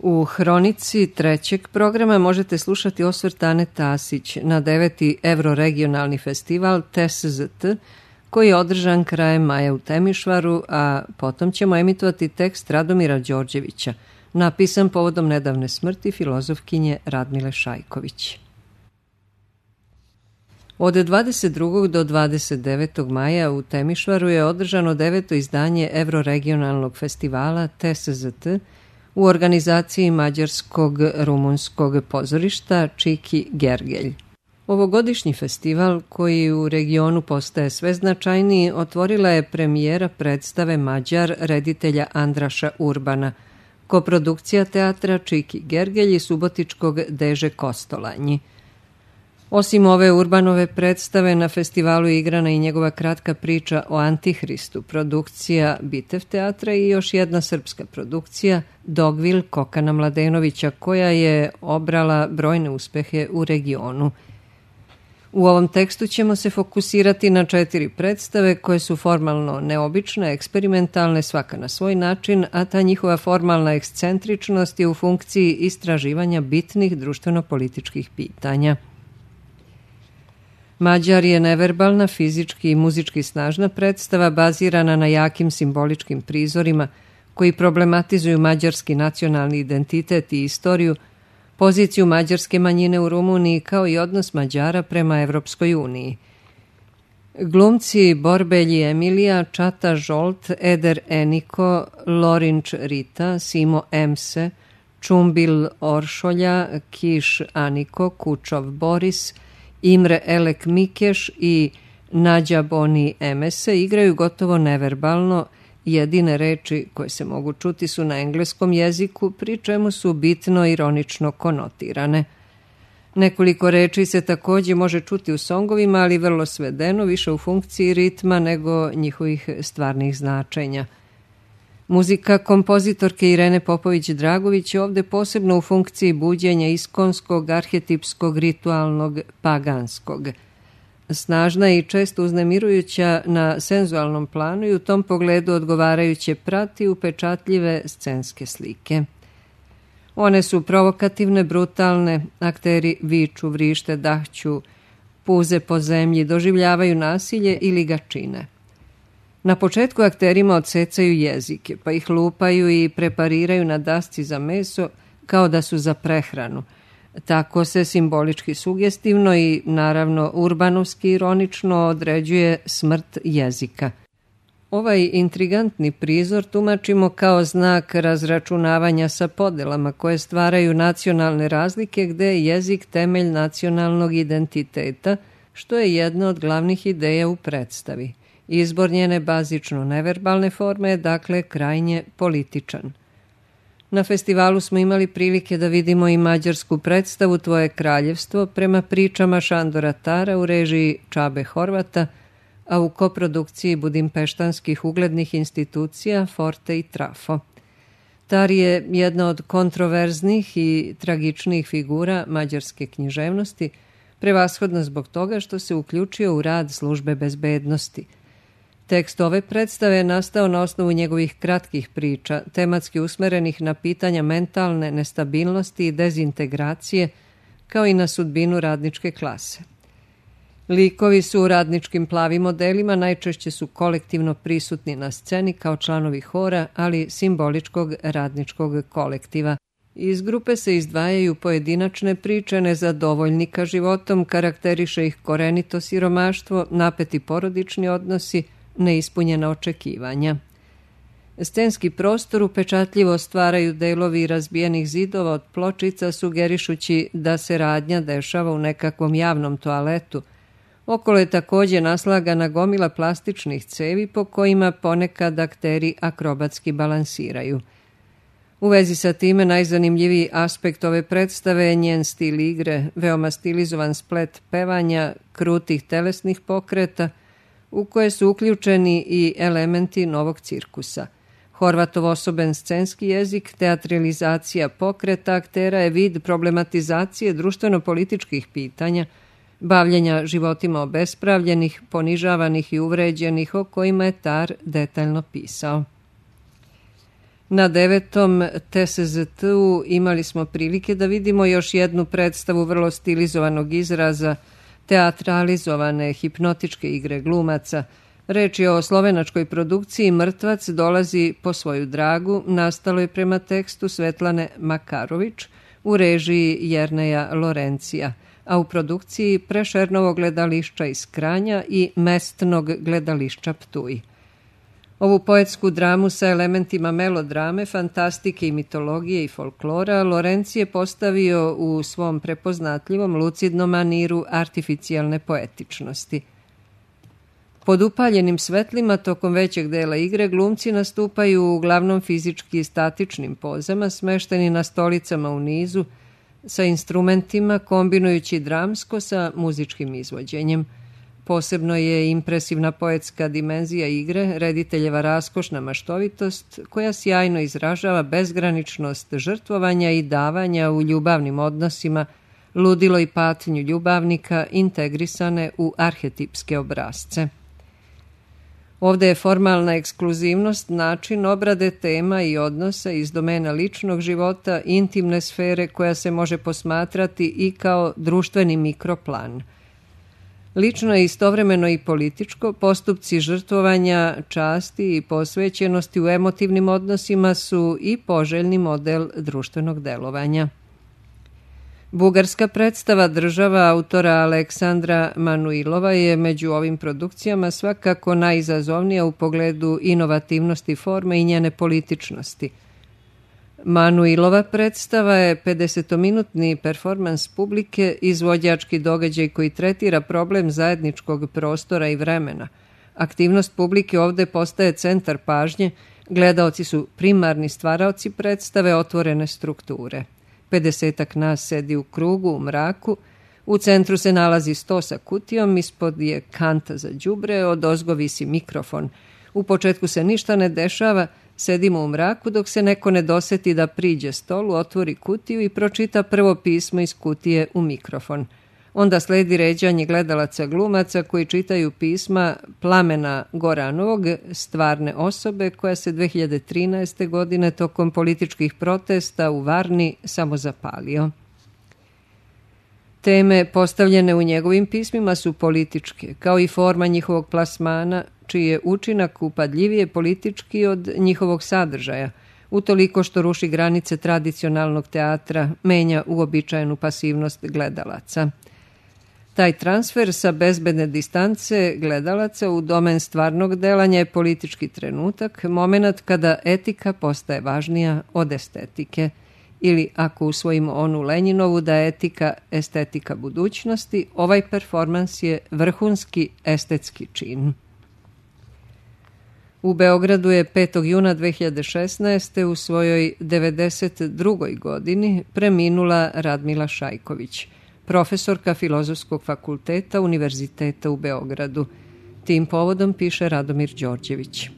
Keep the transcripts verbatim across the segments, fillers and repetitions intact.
U hronici trećeg programa možete slušati osvrt Ane Tasić na deveti Evroregionalni festival T S Z T, koji je održan krajem maja u Temišvaru, a potom ćemo emitovati tekst Radomira Đorđevića, napisan povodom nedavne smrti filozofkinje Radmile Šajković. Od dvadeset drugog do dvadeset devetog maja u Temišvaru je održano deveto izdanje Evroregionalnog festivala T S Z T u organizaciji Mađarskog rumunskog pozorišta Čiki Gergelj. Ovogodišnji festival, koji u regionu postaje sve značajniji, otvorila je premijera predstave Mađar reditelja Andraša Urbana, koprodukcija teatra Čiki Gergelj i subotičkog Deže Kostolanji. Osim ove Urbanove predstave, na festivalu je igrana i njegova kratka priča o Antihristu, produkcija Bitev teatra i još jedna srpska produkcija Dogvil Kokana Mladenovića, koja je obrala brojne uspehe u regionu. U ovom tekstu ćemo se fokusirati na četiri predstave koje su formalno neobične, eksperimentalne, svaka na svoj način, a ta njihova formalna ekscentričnost je u funkciji istraživanja bitnih društveno-političkih pitanja. Mađar je neverbalna, fizički i muzički snažna predstava bazirana na jakim simboličkim prizorima koji problematizuju mađarski nacionalni identitet i istoriju, poziciju mađarske manjine u Rumuniji kao i odnos Mađara prema Evropskoj uniji. Glumci Borbelji Emilija, Čata Žolt, Eder Eniko, Lorinč Rita, Simo Emse, Čumbil Oršolja, Kiš Aniko, Kučov Boris, Imre Elek Mikeš i Nađa Boni Emese igraju gotovo neverbalno. Jedine reči koje se mogu čuti su na engleskom jeziku, pri čemu su bitno ironično konotirane. Nekoliko reči se takođe može čuti u songovima, ali vrlo svedeno, više u funkciji ritma nego njihovih stvarnih značenja. Muzika kompozitorke Irene Popović-Dragović je ovde posebno u funkciji buđenja iskonskog, arhetipskog, ritualnog, paganskog. Snažna i često uznemirujuća na senzualnom planu i u tom pogledu odgovarajuće prati upečatljive scenske slike. One su provokativne, brutalne, akteri viču, vrište, dahću, puze po zemlji, doživljavaju nasilje ili ga čine. Na početku akterima odsecaju jezike, pa ih lupaju i prepariraju na dasci za meso kao da su za prehranu. Tako se simbolički sugestivno i naravno urbanovski ironično određuje smrt jezika. Ovaj intrigantni prizor tumačimo kao znak razračunavanja sa podelama koje stvaraju nacionalne razlike gde je jezik temelj nacionalnog identiteta, što je jedna od glavnih ideja u predstavi. Izbor njene bazično neverbalne forme je dakle krajnje političan. Na festivalu smo imali prilike da vidimo i mađarsku predstavu Tvoje kraljevstvo prema pričama Šandora Tara u režiji Čabe Horvata, a u koprodukciji budimpeštanskih uglednih institucija Forte i Trafo. Tar je jedna od kontroverznih i tragičnih figura mađarske književnosti, prevashodno zbog toga što se uključio u rad službe bezbednosti. Tekst ove predstave je nastao na osnovu njegovih kratkih priča, tematski usmerenih na pitanja mentalne nestabilnosti i dezintegracije, kao i na sudbinu radničke klase. Likovi su u radničkim plavim modelima, najčešće su kolektivno prisutni na sceni kao članovi hora, ali simboličkog radničkog kolektiva. Iz grupe se izdvajaju pojedinačne priče nezadovoljnika životom, karakteriše ih korenito siromaštvo, napeti porodični odnosi, neispunjena očekivanja. Scenski prostor upečatljivo stvaraju delovi razbijenih zidova od pločica, sugerišući da se radnja dešava u nekakvom javnom toaletu. Okolo je takođe naslagana gomila plastičnih cevi po kojima ponekad akteri akrobatski balansiraju. U vezi sa time najzanimljiviji aspekt ove predstave je njen stil igre, veoma stilizovan splet pevanja, krutih telesnih pokreta, u koje su uključeni i elementi novog cirkusa. Horvatov osoben scenski jezik, teatralizacija pokreta aktera je vid problematizacije društveno-političkih pitanja, bavljenja životima obespravljenih, ponižavanih i uvređenih, o kojima je Tar detaljno pisao. Na devetom T S Z T-u imali smo prilike da vidimo još jednu predstavu vrlo stilizovanog izraza, teatralizovane hipnotičke igre glumaca. Reč je o slovenačkoj produkciji Mrtvac dolazi po svoju dragu, nastalo je prema tekstu Svetlane Makarović u režiji Jerneja Lorencija, a u produkciji Prešernovog gledališća iz Kranja i Mestnog gledališća Ptuj. Ovu poetsku dramu sa elementima melodrame, fantastike i mitologije i folklora Lorenci je postavio u svom prepoznatljivom lucidnom maniru artificijalne poetičnosti. Pod upaljenim svetlima tokom većeg dela igre glumci nastupaju uglavnom fizički statičnim pozama, smešteni na stolicama u nizu, sa instrumentima kombinujući dramsko sa muzičkim izvođenjem. Posebno je impresivna poetska dimenzija igre, rediteljeva raskošna maštovitost koja sjajno izražava bezgraničnost žrtvovanja i davanja u ljubavnim odnosima, ludilo i patnju ljubavnika integrisane u arhetipske obrazce. Ovde je formalna ekskluzivnost način obrade tema i odnosa iz domena ličnog života, intimne sfere koja se može posmatrati i kao društveni mikroplan. Lično je istovremeno i političko, postupci žrtvovanja, časti i posvećenosti u emotivnim odnosima su i poželjni model društvenog delovanja. Bugarska predstava Država autora Aleksandra Manuilova je među ovim produkcijama svakako najizazovnija u pogledu inovativnosti forme i njene političnosti. Manuilova predstava je pedesetominutni performans publike, izvođački događaj koji tretira problem zajedničkog prostora i vremena. Aktivnost publike ovde postaje centar pažnje, gledaoci su primarni stvaraoci predstave otvorene strukture. pedesetak nas sedi u krugu, u mraku, u centru se nalazi sto sa kutijom, ispod je kanta za đubre, odozgo visi mikrofon. U početku se ništa ne dešava, sedimo u mraku dok se neko ne doseti da priđe stolu, otvori kutiju i pročita prvo pismo iz kutije u mikrofon. Onda sledi ređanje gledalaca glumaca koji čitaju pisma Plamena Goranovog, stvarne osobe koja se dve hiljade trinaeste. godine tokom političkih protesta u Varni samozapalio. Teme postavljene u njegovim pismima su političke, kao i forma njihovog plasmana, čiji je učinak upadljivije politički od njihovog sadržaja, utoliko što ruši granice tradicionalnog teatra, menja uobičajenu pasivnost gledalaca. Taj transfer sa bezbedne distance gledalaca u domen stvarnog delanja je politički trenutak, moment kada etika postaje važnija od estetike, ili ako usvojimo onu Lenjinovu da je etika estetika budućnosti, ovaj performans je vrhunski estetski čin. U Beogradu je petog juna dve hiljade šesnaeste. u svojoj devedeset drugoj. godini preminula Radmila Šajković, profesorka Filozofskog fakulteta Univerziteta u Beogradu. Tim povodom piše Radomir Đorđević.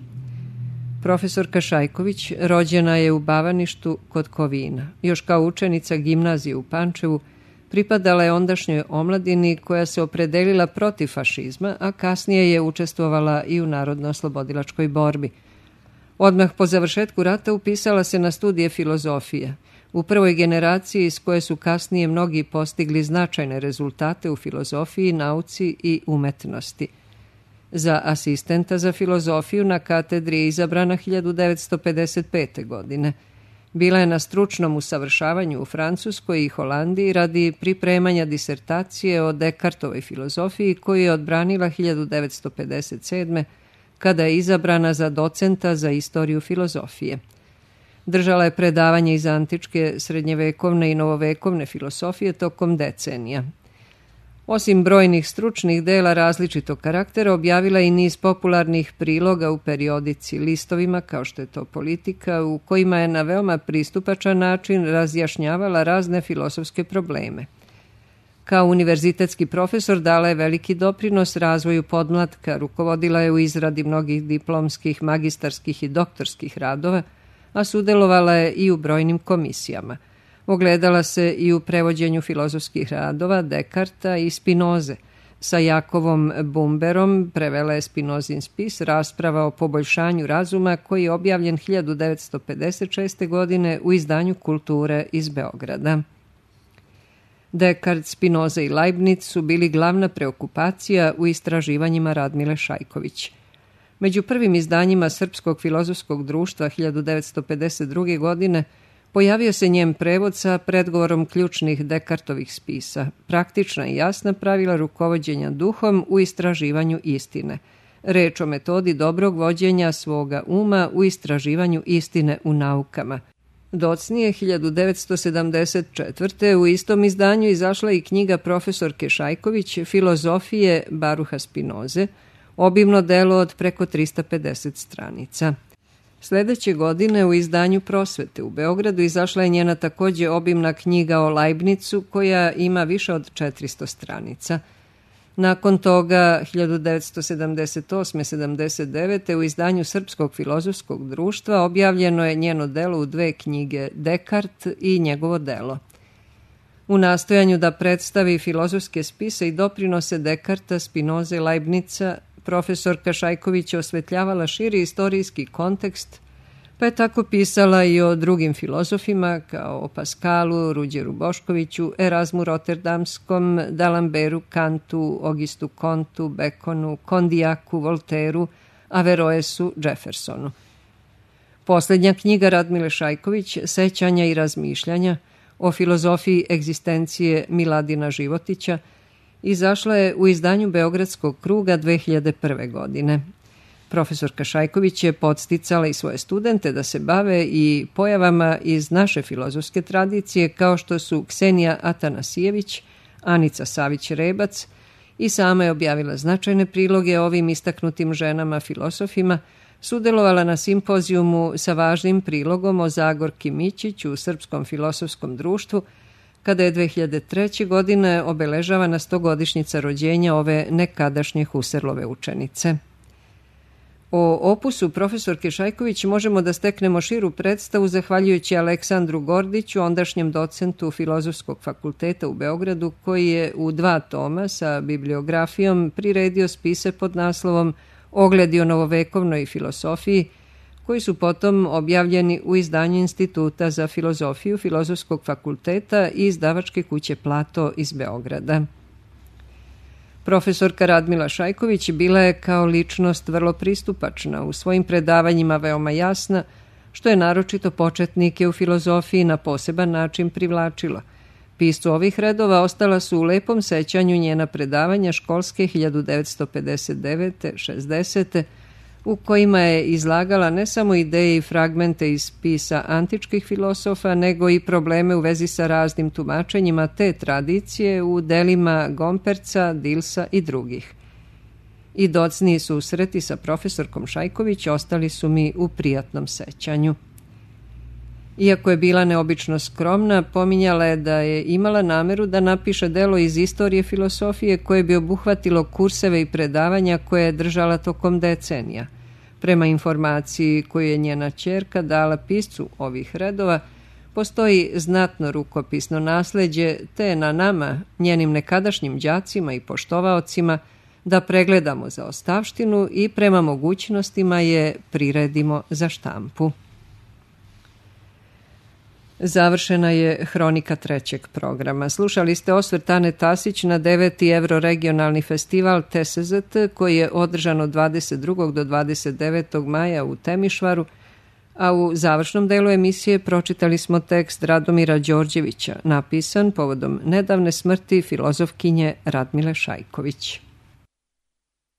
Profesorka Šajković rođena je u Bavaništu kod Kovina. Još kao učenica gimnazije u Pančevu pripadala je ondašnjoj omladini koja se opredelila protiv fašizma, a kasnije je učestvovala i u narodno-oslobodilačkoj borbi. Odmah po završetku rata upisala se na studije filozofije. U prvoj generaciji iz koje su kasnije mnogi postigli značajne rezultate u filozofiji, nauci i umetnosti. Za asistenta za filozofiju na katedri je izabrana hiljadu devetsto pedeset pete. godine. Bila je na stručnom usavršavanju u Francuskoj i Holandiji radi pripremanja disertacije o Dekartovoj filozofiji koju je odbranila hiljadu devetsto pedeset sedme. kada je izabrana za docenta za istoriju filozofije. Držala je predavanje iz antičke, srednjevekovne i novovekovne filosofije tokom decenija. Osim brojnih stručnih dela različitog karaktera, objavila i niz popularnih priloga u periodici, listovima, kao što je to Politika, u kojima je na veoma pristupačan način razjašnjavala razne filosofske probleme. Kao univerzitetski profesor dala je veliki doprinos razvoju podmlatka, rukovodila je u izradi mnogih diplomskih, magistarskih i doktorskih radova, a sudelovala je i u brojnim komisijama. Ogledala se i u prevođenju filozofskih radova Dekarta i Spinoze. Sa Jakovom Bumberom prevela je Spinozin spis Rasprava o poboljšanju razuma, koji je objavljen hiljadu devetsto pedeset šeste. godine u izdanju Kulture iz Beograda. Dekart, Spinoza i Leibniz su bili glavna preokupacija u istraživanjima Radmile Šajković. Među prvim izdanjima Srpskog filozofskog društva hiljadu devetsto pedeset druge. godine pojavio se njen prevod sa predgovorom ključnih Dekartovih spisa, praktična i jasna pravila rukovođenja duhom u istraživanju istine. Reč o metodi dobrog vođenja svoga uma u istraživanju istine u naukama. Docnije hiljadu devetsto sedamdeset četvrte. u istom izdanju izašla i knjiga profesorke Šajković Filozofije Baruha Spinoze, obimno delo od preko trista pedeset stranica. Sledeće godine u izdanju Prosvete u Beogradu izašla je njena takođe obimna knjiga o Leibnizu, koja ima više od četiristo stranica. Nakon toga, hiljadu devetsto sedamdeset osme sedamdeset devete. u izdanju Srpskog filozofskog društva objavljeno je njeno delo u dve knjige, Dekart i njegovo delo. U nastojanju da predstavi filozofske spise i doprinose Dekarta, Spinoze i Leibniza, profesorka Šajković osvetljavala širi istorijski kontekst, pa je tako pisala i o drugim filozofima, kao o Paskalu, Ruđeru Boškoviću, Erazmu Roterdamskom, Dalamberu, Kantu, Augustu Comtu, Bekonu, Kondijaku, Volteru, Averroesu, Jeffersonu. Poslednja knjiga Radmile Šajković, Sećanja i razmišljanja, o filozofiji egzistencije Miladina Životića, izašla je u izdanju Beogradskog kruga dve hiljade prve. godine. Profesorka Šajković je podsticala i svoje studente da se bave i pojavama iz naše filozofske tradicije, kao što su Ksenija Atanasijević, Anica Savić-Rebac, i sama je objavila značajne priloge ovim istaknutim ženama filosofima, sudelovala na simpozijumu sa važnim prilogom o Zagorki Mićić u Srpskom filozofskom društvu, kada je dve hiljade treće. godine obeležavana stogodišnjica rođenja ove nekadašnje Husserlove učenice. O opusu profesorke Šajković možemo da steknemo širu predstavu zahvaljujući Aleksandru Gordiću, ondašnjem docentu Filozofskog fakulteta u Beogradu, koji je u dva toma sa bibliografijom priredio spise pod naslovom Ogledi o novovekovnoj filosofiji, koji su potom objavljeni u izdanju Instituta za filozofiju Filozofskog fakulteta i izdavačke kuće Plato iz Beograda. Profesorka Radmila Šajković bila je kao ličnost vrlo pristupačna, u svojim predavanjima veoma jasna, što je naročito početnike u filozofiji na poseban način privlačilo. Piscu ovih redova ostala su u lepom sećanju njena predavanja školske hiljadu devetsto pedeset devete šezdesete. u kojima je izlagala ne samo ideje i fragmente iz spisa antičkih filosofa, nego i probleme u vezi sa raznim tumačenjima te tradicije u delima Gomperca, Dilsa i drugih. I docniji susreti sa profesorkom Šajković ostali su mi u prijatnom sećanju. Iako je bila neobično skromna, pominjala je da je imala nameru da napiše delo iz istorije filosofije koje bi obuhvatilo kurseve i predavanja koje je držala tokom decenija. Prema informaciji koju je njena ćerka dala piscu ovih redova, postoji znatno rukopisno nasleđe, te je na nama, njenim nekadašnjim đacima i poštovaocima, da pregledamo za ostavštinu i prema mogućnostima je priredimo za štampu. Završena je hronika trećeg programa. Slušali ste osvrt Ane Tasić na deveti Evroregionalni festival T S Z T koji je održan od dvadeset drugog do dvadeset devetog maja u Temišvaru, a u završnom delu emisije pročitali smo tekst Radomira Đorđevića, napisan povodom nedavne smrti filozofkinje Radmile Šajković.